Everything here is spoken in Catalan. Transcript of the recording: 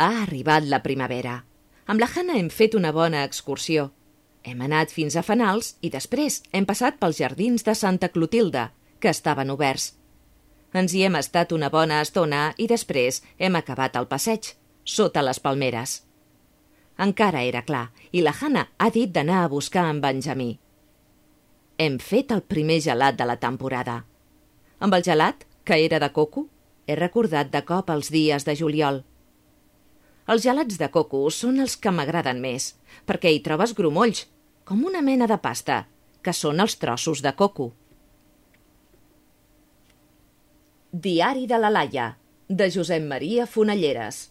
Ha arribat la primavera. Amb la Hannah hem fet una bona excursió. Hem anat fins a Fenals i després hem passat pels jardins de Santa Clotilde, que estaven oberts. Ens hi hem estat una bona estona i després hem acabat el passeig, sota les palmeres. Encara era clar i la Hannah ha dit d'anar a buscar en Benjamí. Hem fet el primer gelat de la temporada. Amb el gelat, que era de coco, he recordat de cop els dies de juliol. Els gelats de coco són els que m'agraden més, perquè hi trobes grumolls, com una mena de pasta, que són els trossos de coco. Diari de la Laia, de Josep Maria Fonalleres.